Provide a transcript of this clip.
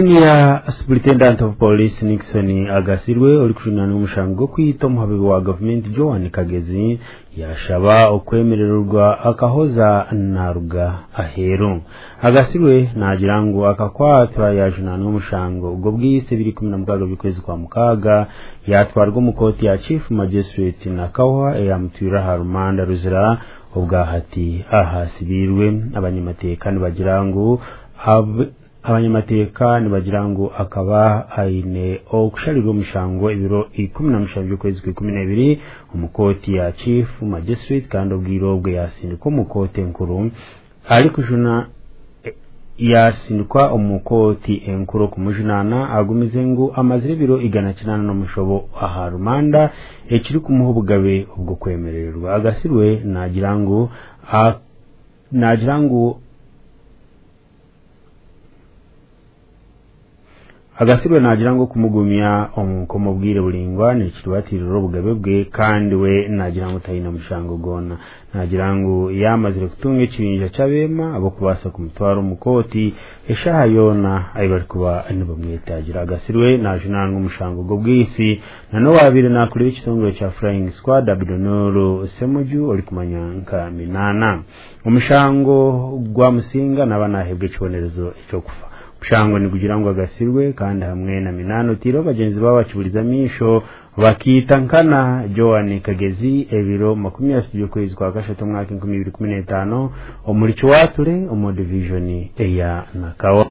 Senior Superintendent of Police Nixon Agasirwe orikujunaanwa omushango gw'okwita omuhabibi wa gavumenti Joan Kagezi yashaba okwemererwa akahoza naruga aheeru. Agasirwe nagira ngu akakwatwa yajunaanwa omushango gw'obwise 2016 by'okwezi kwa mukaaga, yatwarwa omu kooti ya Chief Magistrate Nakawa eyamutwire aha rumanda ruzira. Obwahati ahasibiirwe. Abanyamateeka nibagira ngu akaba aine okusharirwa omushango ebiro 17 by'okwezi kwa 12 omu kooti ya Chief Magistrate, kandi obwire obwe yasindikwa omu kooti enkuru arikujuna, yasindikwa omu kooti enkuru okumujunaana. Agumize ngu amazire ebiro 800 aha rumanda, ekirikumuha obugabe obw'okwemererwa. Agasirwe nagira ngu Agasirwe nagira ngu okumugumya omu bwire buringwa nikiribatirira obugabe bwe, kandi we nagira ngu taine mushango gwona. Nagira ngu yamazire kutunga ekibinja ky'abeema abokubaasa kumutwara omu kooti eshaaha yoona ahi barikuba nibamwetagira. Agasirwe najunaanwa omushango gw'obwisi na n'owabaire nakurira ekitongore kya Flying Squad, Abdunuru Semuju, orikumanya nka Minana. Omushango gwa Musinga naba nahebwa ekibonerezo ekyokufa. Omushango nigugira ngu Agasirwe kandi hamwe na Minana, otiireho bagyenzi babo bakiburiza amaisho, bakiita nkana Joan Kagezi ebiro 30 by'okwezi kwa kashatu omwaka 2015 omuri Kiwature omu divijoni eya Nakawa.